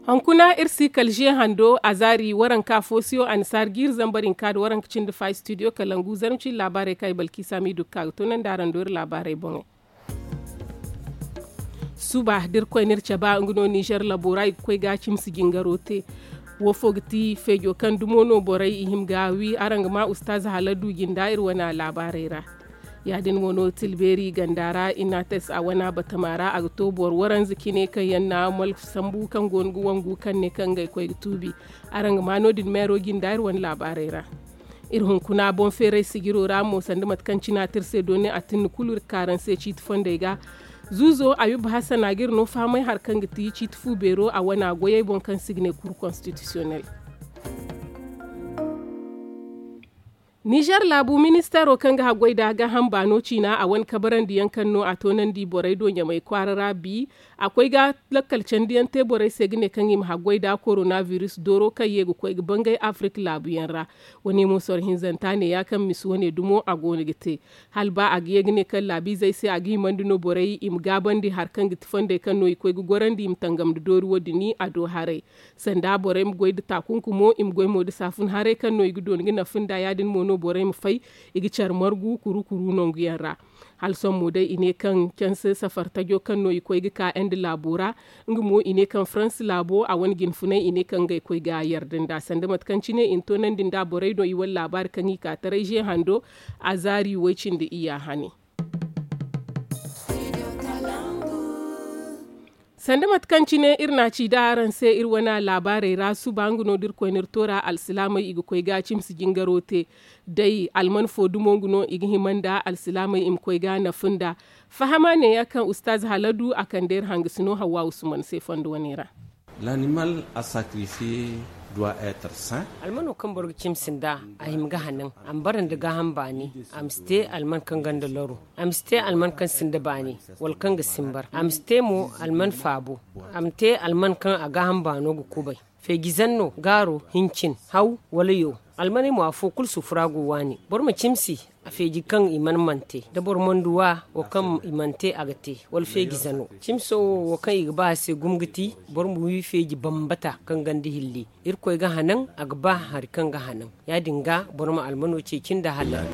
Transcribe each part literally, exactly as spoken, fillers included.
Hunkuna iri si kala ze hando a zaari waranka foosiyo annasaari ga iri zambar hinka nda waranka cindi fa studio kalangu zarma cindi laabaarey kaŋ ay balkiisa m'i du ga ka ga toonandi araŋ do iri laabaarey boŋey. Suba da iri koy no iri cabe nga no nizer labo ra i ga koy ga cimsi jingaro te. Wo fo ga ti feejo kaŋ dumo no borey i hima ga a wi araŋ ga ma ustaaz haladu jinda iri wane laabaarey ra. Ya- din mo no tilbeeri ganda ra inates a wane batama ra a ga to boro waranza cine kaŋ yaŋ na malfa sambu kaŋ go no ga wangu kaŋ ne kaŋ ngey koy ga tuubi. Araŋ ga ma no- din meero jinda iri wane laabaarey ra. Iri hunkuna boŋ feeray sijiro ra mo sanda mate kaŋ cina te iri se dooni a tinni kulu iri ga ka araŋ se ciiti fondey ga. Zuuzo ayuba hasan a ga iri no fahamay hari kaŋ ga ti ciiti fu beero a wane goyey boŋ kaŋ se i ga ne kuru konstitisiyonel. Nizer laabu ministeero kaŋ ga haggoy nda gaaham baano ciina a wane kabarandiyaŋ kaŋ no a toonandi borey do ɲamay kwaara ra bi. A koy ga lakkal candiyaŋ te borey se ga ne kaŋ i ma haggoy nda koronabiris dooro kaŋ ye ga koy ga bangay afirik laabuyaŋ ra. Wane mo soro hinzanta neeya kaŋ misi wane dumo a go no ga te. Hala ba a ga ye ga ne kaŋ laabiizey se a ga himandi no borey i ma gaabandi hari kaŋ ga ti fondey kaŋ no i koy ga gorandi i ma tangam nda doori wo- din a do haray. Sanda borey ma goy nda taakunkumo i ma goy mo nda saafun haray kaŋ no i ga dooni ga nafa nda ya- din mo no borey ma fay i ga care margu kuru kuru nanguyaŋ ra. Hala sohõ mo day i ne kaŋ canse safar tajo kaŋ no i koy ga ka ende laabo ra. Nga mo i ne kaŋ faransi laabo a wane jinfunay i ne kaŋ ngey koy ga yarda nda sanda mate kaŋ cine i na toonandi nda borey do i wane laabaari kaŋ i ka taray ze hando. A zaari way- cindi iyya hane. Sanda mate kaŋ cine iri na a ci da araŋ se iri wane laabaarey ra suba nga no da iri koy no iri toora alsilaamey i ga koy ga cimsi jingaro te. Day alman fo dumo nga no i ga hima nda alsilaamey i ma koy ga nafa nda. Fahama neeya kaŋ ustaaz haladu a kande iri hangasino hawwa usman se fondo wane ra. L'animal a sacrifier doit être saint. Almano kaŋ boro ga cimsi nda a hima ga hanan a ma bara nda gaaham baani. A ma si te alman kaŋ ganda loro. A ma si te alman kaŋ sinda baani wala kaŋ ga simbar. A ma si te mo alman faabo. A ma te alman kaŋ a gaaham baano ga kubay. Feejizanno gaaro hincin haw wala yo. Almaney mo afo kulu sufura go waani boro ma cimsi. A feeji kaŋ i mana mante da boro mana du wa wo kaŋ i mana te a ga te wala feejizano. Cimso wo wo kaŋ i ga ba a se gumo ga ti boro ma wi feeji bambata kaŋ ganda hilli. Irkoy ga hanan a ga ba hari kaŋ ga hanan. Ya- din ga boro ma almano ceeci nda halal.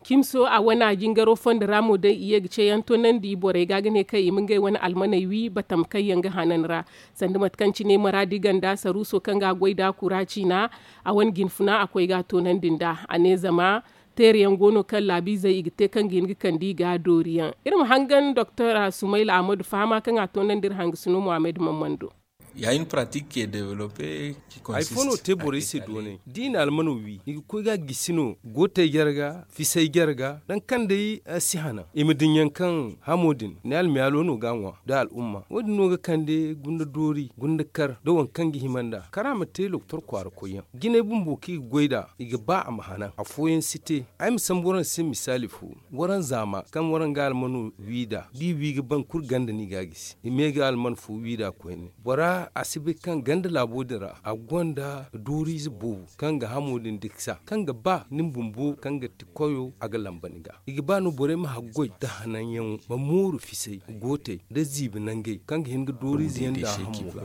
Cimso a wane a jingaro fondo ra mo day i ye ga ceeyaŋ toonandi borey ga ga ne kaŋ i ma ngey wane almaney wi batam kaŋ yaŋ ga hanan ra. Sanda mate kaŋ cine maraadi ganda saruuso kaŋ ga a goy da kura ciina. A wane jinfuna a koy ga a toonandi nda a ne zama teerayaŋ go no kaŋ laabiizey i ga te kaŋ ga hin ga kande i ga dooriyaŋ. Iri ma hangan doktor sumayla ahmadu fahama kaŋ a toonandi iri hangasino muhammad mammando. Hari fo no te borey se doonay da i na almano wi i ga koy ga gisi no gootey jarga fisey jarga nangu kaŋ day si hanan i ma din yaŋ kaŋ hamo din ni almiyaalo no ga a ŋwa da al'umma wo- din no ga kande gunda doori gunda kar da waŋ kaŋ ga hima nd'a kara ma te doktor kwaara koyyaŋ jinay bumbo kaŋ i ga goy nd'a i ga ba a ma hanan afooyaŋ si te. Ay ma sambu waraŋ se misaali fo waraŋ zaama kaŋ waraŋ ga almano wi nd'a da i wi ga ban kulu ganda no i ga a gisi i me ga alman fo wi nd'a koyne. Bora a si bay kaŋ ganda laabo din ra a gonda dooriize boobo kaŋ ga hamo din diksa kaŋ ga ba ni bumbo kaŋ ga ti koyo a ga lamba ni ga i ga ba no borey ma haggoy nda hananyaŋo ma mooru fisay gootey nda ziibi nangey kaŋ ga hin ga dooriize yaŋ nda hamo ga.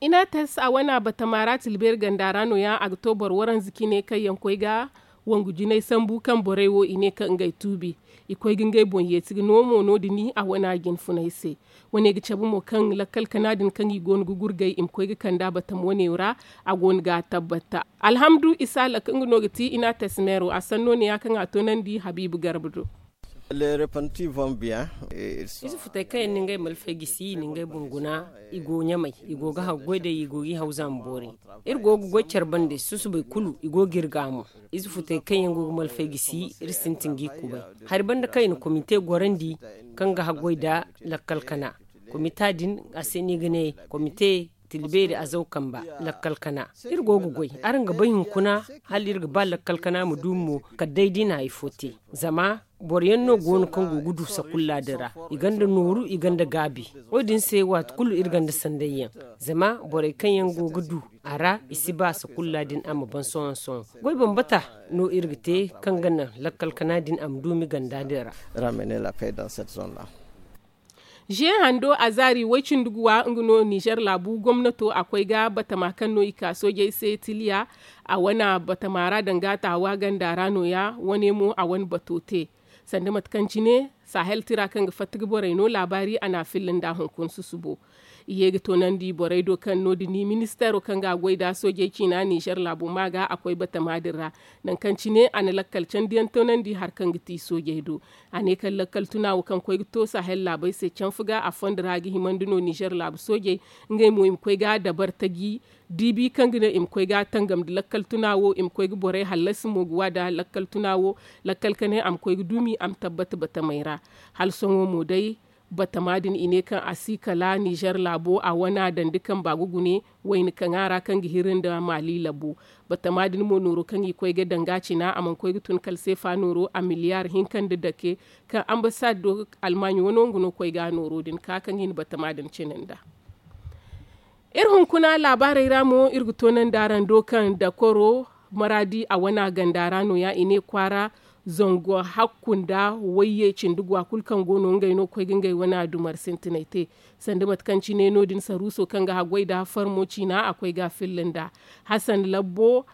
Inates a wane a batama ra tilbeeri ganda ra no- ya a ga to boro waranza cine kaŋ yaŋ koy ga wangu jinay sambu kaŋ borey wo i ne kaŋ ngey tuubi. I koy ga ngey boŋ yeeti ga no mo no- din a wane a jinfunay se. Wane ga cabe mo kaŋ lakkal kana din kaŋ i go no ga gurgay i ma koy ga kande a batama wane ra. A go no ga a tabbata alhamdu isa lakka nga no ga ti inates meero a sanno ne- ya kaŋ a toonandi habiibu garba do. Ize futey kaŋ yaŋ na ngey malfay gisi i na ngey boŋ guna. I go ɲamay i go ga haggoy day i go ga i hawza ma boori. Iri go ga goy care bande susubay kulu i go ga iri ga mo. Ize futey kaŋ yaŋ go ga malfay gisi iri sintin ga i kubay. Hari banda kaŋ i na komite gorandi kaŋ ga haggoy nda lakkal kana. Komita din a se no i ga ne komite tilbeeri azaw kamba lakkal kana. Iri go ga goy araŋ ga bay hunkuna hala iri ga ba lakkal kana ma du mo kala day da i na hari fo te. Zama boro yaŋ no go no kaŋ go ga du sakulla din ra. I gonda nooru i gonda gaabi. Wo- din se waati kulu iri gonda sandayyaŋ. Zama borey kaŋ yaŋ go ga du a ra i si ba sakulla din a ma ban sohõ sohõ. Goy bambata no iri ga te kaŋ ga naŋ lakkal kana din a ma duumi ganda din ra. Ze hando a zaari way-cindi guwa nga no nizer laabu gomnato a koy ga batama kaŋ no i ka soojey se tiliya. A wane batama ra danga taawa ganda ra nooya wane mo a wane bato te. Sanda mate kaŋ cine sahel tira kaŋ ga fatta ga borey no laabaari a n'a filla nda hunkuna susubo. I ye ga toonandi borey do kaŋ no- din ministeero kaŋ ga a goy nda soojey ciina nizer laabo ma ga a koy batama din ra. Nangu kaŋ cine a na lakkal candiyaŋ toonandi hari kaŋ ga ti soojey do. A ne kaŋ lakkal tuna wo kaŋ koy ga to sahel laabey se canfa ga a fondo ra ga himandi no nizer laabu soojey. Ngey mo i ma koy ga dabar taji diibi kaŋ ga naŋ i ma koy ga tangam nda lakkal tuna wo i ma koy ga borey hallasi mo ga wa nda lakkal tuna wo. Lakkal kanay a ma koy ga duumi a ma tabbata batamey ra. Hala sohõ mo day batama din i ne kaŋ a si kala nizer laabo a wana dandi kamba ga gune wayna kaŋ a ra kaŋ ga hiri nda maali labo. Batama din mo nooro kaŋ i koy ga danga cina a mana koy ga tun kala seefa nooro a miliyaar hinka nda dake. Kaŋ ambasado almaaɲi wano nga no koy ga nooro din ka kaŋ i na batama din cina nda. Iri hunkuna laabaarey ra mo iri ga toonandi araŋ do kaŋ dakoro maraadi a wana ganda ra nooya i ne kwaara zango hakku nda wayye cindi guwa kulu kaŋ go no ngey no koy ga ngey wana dumar sintinay te. Sanda mate kaŋ cine no- din saruuso kaŋ ga haggoy nda farmo ciina a koy ga a filla nda hasan labbo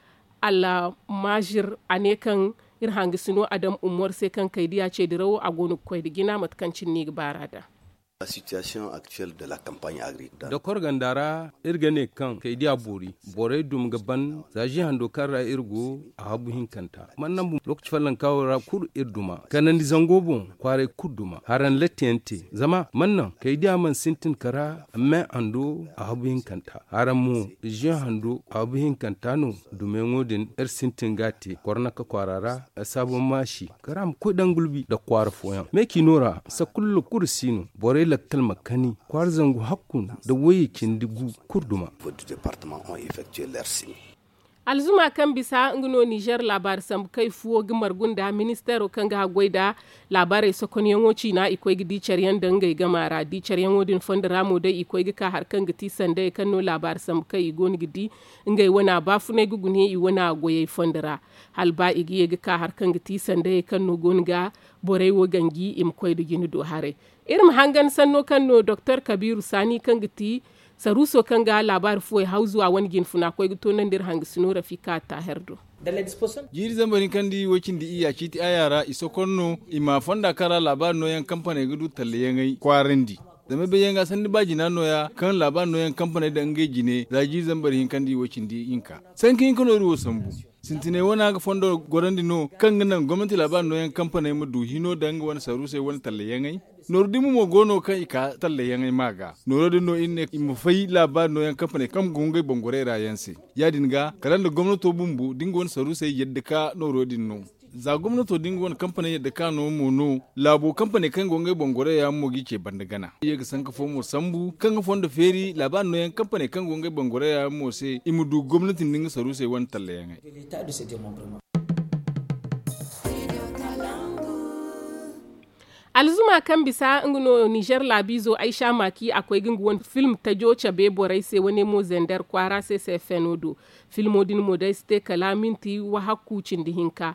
almazir a ne kaŋ iri hangasino adam ummor se kaŋ kay diya ce dirawo a go no ga koy nda jina mate kaŋ cine no i ga baar'a da. Dakor ganda ra iri ga ne kaŋ kay diya boori borey duma ga ban za zi hando kaŋ ra iri go a habu hinkanta mana naŋ bumbo lookaci follonka wo ra kulu iri duma kanandi zango boŋ kwaaray kulu duma haraŋ lattiyaŋ te zama mana naŋ kay diya mana sintin kara me hando a habu hinkanta haraŋ mo zi hando a habu hinkanta no dumeyaŋo din iri sintin ga a te kornaka kwaara ra. Saabon maasi kara ma koy daŋ gulbi nda kwaara fooyaŋ me ciino ra sakulla kulu si no borey lakkal ma kani kwaara zangu hakku nda wayye cindi gu kulu duma. Alzuma kaŋ bisa nga no nizer laabaari sambu kay fuwo ga margu nda ministeero kaŋ ga haggoy nda laabaarey sokonyaŋo ciina i koy ga di care yaŋ daŋ ngey gama ra di care yaŋo din fondo ra mo day i koy ga ka hari kaŋ ga ti sandayey kaŋ no laabaari sambu kay i go no ga di ngey wana baafunay ga gune i wana goyey fondo ra. Hala ba i ga ye ga ka hari kaŋ ga ti sandayey kaŋ no go no ga borey wo ganji i ma koy nda jine do haray. Iri ma hangan sanno kaŋ no doktor kabiiru saani kaŋ ga ti saruuso kaŋ ga laabaari fuwey hawzu a wane jinfuna koy ga toonandi iri hangasino rafika taaher do. Jiiri zambar hinka nda i way cindi iyya ciiti aya ra i sokon no i ma fonda kaŋ ra laabaari nooyaŋ kampaney ga du tallayaŋey kwaarandi. Zama ay bay yaŋ ga sanni ba jina nooya kaŋ laabaari nooyaŋ kampaney daŋ ngey jine za jiiri zambar hinka nda i way cindi hinka sanka hinka no iri wo sambu. Sintinay wana ga fondo gorandi no kaŋ ga naŋ gomnanti laabaari nooyaŋ kampaney ma du hino daŋ nga wane saruusey wane tallayaŋey. Nooru dimbu mo go no kaŋ i ka tallayaŋey ma ga nooro din no iri ne i ma fay laabaari nooyaŋ kampaney kaŋ go ngey boŋ gorey ra yaŋ se. Ya- din ga kala nda gomnato bumbo da nga wane saruusey yadda ka nooro din no. Za gomnato da nga wane kampaney yadda ka no mo no laabo kampaney kaŋ go ngey boŋ gorey ra yaŋ mo g'i ce banda gana i ye ga sanka fo mo sambu kaŋ ga fondo feeri laabaari nooyaŋ kampaney kaŋ go ngey boŋ gorey ra yaŋ mo se i ma du gomnati nda nga saruusey wane tallayaŋey. Alzuma kaŋ bisa nga no nizer laabiizo aysa maaki a koy ga nga wane film tajo cabe borey se wane mo zender kwaara se se feno do. Filmo din mo day si te kala minti wahakku cindi hinka.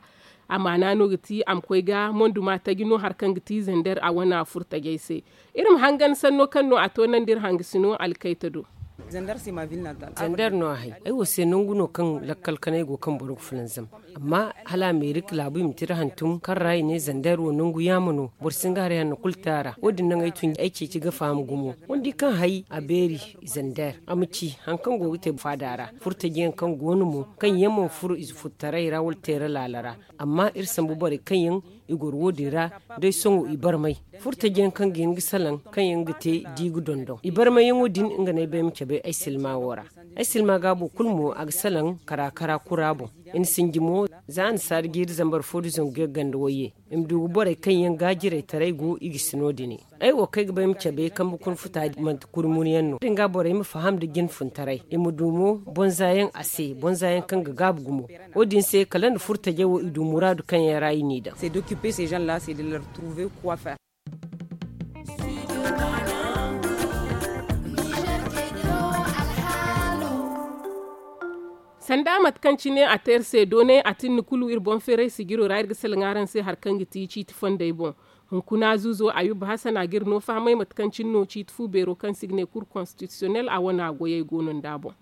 Amaana no ga ti a ma koy ga monduma taji no hari kaŋ ga ti zender a wane furtajey se. Iri ma hangan sanno kaŋ no a toonandi iri hangasino alkayta do. Zender no a hay ay wo se nangu no kaŋ lakkal kanay go kaŋ boro ga fulanzam. Amma hala amerika laabu i ma tira hantum kaŋ ra i ne zander wo nangu yaama no boro si nga haray hanno kulu te a ra wo- din naŋ ay tun ay ceeci ga faham gumo. Wandi kaŋ hay a beeri zander a ma ci hari kaŋ go ga te faada ra furtajiyaŋ kaŋ go no mo kaŋ yaŋ mana furo ize furtaray ra wala teera laala ra. Amma iri sambu borey kaŋ yaŋ i goro wo- din ra day sohõ i barmay furtajiyaŋ kaŋ ga hin ga salaŋ kaŋ yaŋ ga te di ga dondon i barmayyaŋo din nga no ay bay ma cabe ay silma wo ra. Ay silma gaabo kulu mo a ga salaŋ kara kara kura boŋ. I na sinji mo za a na saada jiiri zambar fo da zangu yagga nda wayye i ma du ga borey kaŋ yaŋ ga jiraytaray go i ga si no- dine. Ay wo kaŋ ay ga bay ma cabe kambe kuna futa manti kuri munu yaŋ no wo- din ga borey ma faham nda jinfuntaray i ma du mo bonza yaŋ a se bonza yaŋ kaŋ ga gaabu gumo. Wo- din se kala nda furtajey wo i du muraadu kaŋ yaŋ ra i n'i daŋ. Sanda mate kaŋ cine a te iri se doonay a tinni kulu iri boŋ feeray sijiro ra iri ga salaŋ araŋ se hari kaŋ ga ti ciiti fondey boŋ. Hunkuna zuuzo ayuba hasan a ga iri no fahamay mate kaŋ cine no ciiti fu beero kaŋ se i ga ne kur konstitisiyonel a wane a goyey go no nd'a boŋ.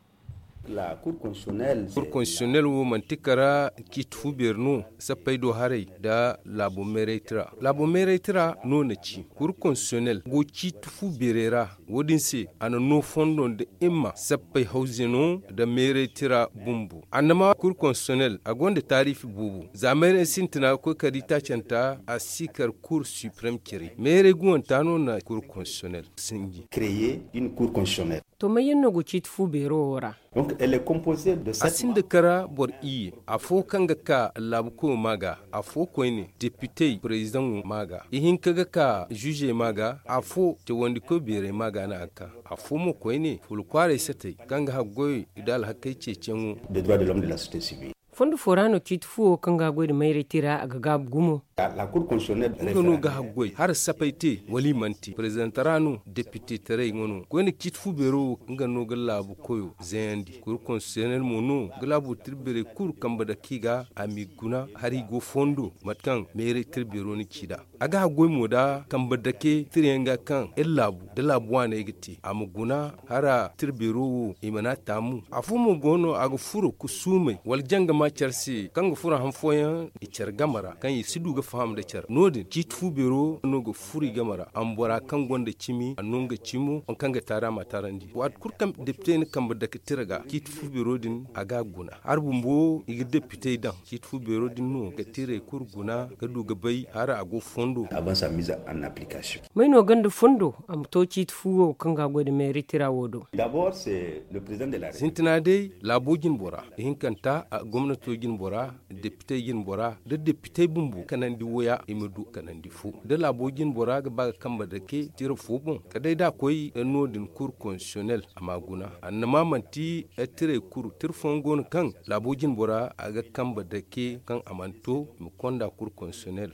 Kur konstitisiyonel wo manti kara ciiti fu beeri no sappey do haray nda laabo meeraytira. Laabo meeraytira no na ci kur konstitisiyonel go ciiti fu beerey ra. Wo- din se a na no fondo nda himma sappey hawzino nda meeraytira bumbo annama kur konstitisiyonel a gonda taariifi boobo za meeray sintina ga koy kala di taacanta a si kar kur siprem care meeray guwanta no na kur konstitisiyonel sinji. To may yaŋ no go ciiti fu beero wo ra? A sinda kara boro iyye, afo kaŋ ga ka laabu koyo ma ga, afo koyne depitey perezidaŋo ma ga, ihinka ga ka ziizey ma ga, afo cawandikoy beerey ma ga no a ga ka, afo mo koyne fula kwaaray satey kaŋ ga haggoy nda alhakey ceeciyaŋo. Fondo fo ra no ciiti fu wo kaŋ ga a goy nda mayray tira a ga gaabu gumo. Nga no ga haggoy hara sapay te wala i mana te perezidaŋ tara no depite taray nga no koyne ciiti fu beero wo nga no ga laabu koyo zayandi kuru konsiyonel mo no ga laabu tirbeerey kulu kambe dake i ga a m'i guna hari i go fondo mate kaŋ meeray tirbeero na ci nd'a. A ga haggoy mo nda kambe dake tirayaŋ ga kaŋ iri laabu nda laabu waaney ga te a ma guna hara tirbeero wo i mana taamu. Afo mo go no a ga furo ga suumay wala janga ma care se kaŋ ga furo han fooyaŋ i care game ra kaŋ i si du ga faham nda care no- din ciiti fu beero no ga furo i game ra a ma bora kaŋ gonda cimi a no nga cimo waŋ kaŋ ga taari a ma taarandi waati kulu kaŋ depite na kambe dake tira ga ciiti fu beero din a ga a guna hari bumbo i ga depitey daŋ ciiti fu beero din no ga tirey kulu guna ga du ga bay hara a go fondo. May no gonda fondo a ma to ciiti fu wo kaŋ ga a goy nda meeri tira wo do? Sintina day laabo jine bora ihinkanta gomnato jine bora depitey jine bora nda depitey bumbo kanandi woya i ma du kanandi fo da laabo jine bora ga ba ga kambe dake tira fo boŋ kala day da a koy no- din kuru konsiyonel a ma guna annama manti tirey kuru tira fooyaŋ go no kaŋ laabo jine bora a ga kambe dake kaŋ a mana to i ma konda kuru konsiyonel.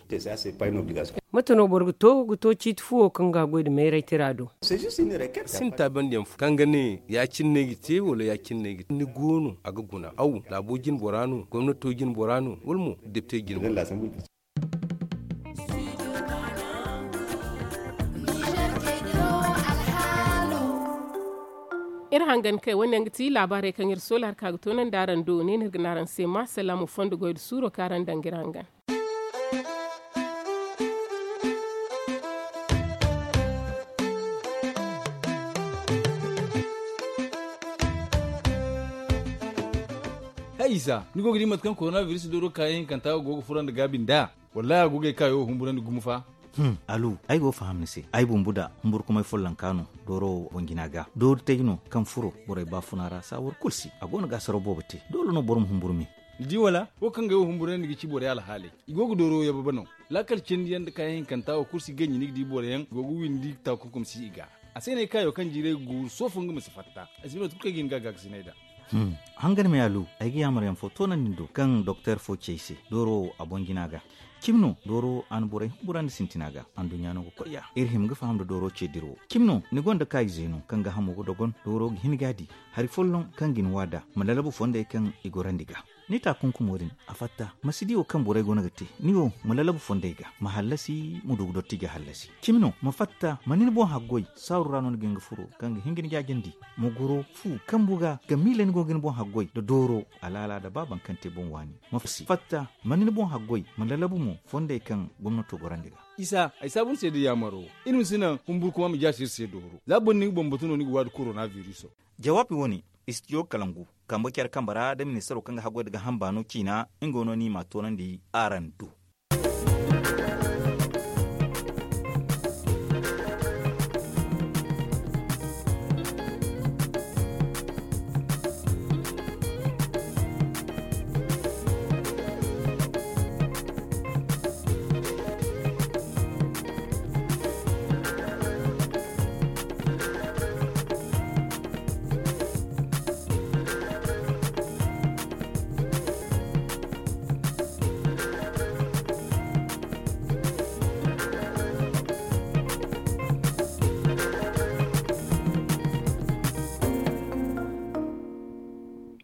Mate no boro ga to ga to ciiti fu wo kaŋ ga a goy nda meeray tira do? Sinda taabandiyaŋ fo kaŋ ga ne ya- cine no ay ga te wala ya- cine no ay ga te ni go no a ga guna aw laabo jine bora no gomnato jine bora no wala mo depite jine bora? Iri hangan kay wane yaŋ ga ti laabaarey kaŋ iri soola hari ka ga toonandi araŋ do ne no iri ga ne araŋ se ma salaamu fondo goy nda suuro kaŋ araŋ daŋ ga iri hangan. Hay isa ni go ga di mate kaŋ korona biris dooro kaayaŋ hinkanta go ga furo nda gaabi nd'a? Wallahi a go ga ay kaayo humburandi gumo fa. Alu ay go ga faham ni se ay bumbu da humburkumay follonka no dooro wo boŋ jina ga doori tay no kaŋ furo borey baafuna ra saawar kulu si a go no ga a saraw boobo te doole no boro ma humburu me. Ni di wala wo kaŋ ga ay wo humburandi ga ci borey alhaaley i go ga dooro yababe no. Laakal cindi yaŋ nda kaayaŋ hinkanta wo kulu si ganji ni ga di boro yaŋ go ga windi taakunkum si i ga. A se no ay kaayo kaŋ jiiray ga guuru soofo nga ma si fatta ay si bay mate kulu kaŋ ay ga hin ga a gaakasinay nd'a. Hangan me alu ay ga yaamar yaŋ fo toonandi ni do kaŋ doktor fo ci ay se dooro wo a boŋ jina ga. Cimi no dooro wo a na borey humburandi sintina ga anduɲɲa no ga koy ya iri hima ga faham nda dooro ce dira wo cimi no ni gonda kaayize no kaŋ ga hamo ga dogon dooro ga hin ga a di hari folloŋ kaŋ ga ni waada ma lalabu fondey kaŋ i gorandi ga. Ni taakunkumo din a fatta ma si di wo kaŋ borey go no ga te ni wo ma lalabu fondey ga ma hallasi ma du ga dotti ga hallasi. Cimi no ma fatta ma ni ni boŋ haggoy saaru ra no ni ga hin ga furo kaŋ ga hin ga ni jaajandi ma goro fu kambu ga ga miila ni go ga ni boŋ haggoy nda dooro alaala nda ba baŋ kaŋ te boŋ waani ma fatta ma ni ni boŋ haggoy ma lalabu mo fondey kaŋ gomnato gorandi ga. Isa ay saabu ni se da yaamaro iri ma si naŋ humburkuma ma jaasi iri se dooro za boro ni ga bambatu no ni ga waadi korona biriso. Jawaabi wo- ne istijo kalangu kambe care kambe ra nda ministaro kaŋ ga haggoy nda ga hamba no ciina nga wo no ni ma a toonandi araŋ do.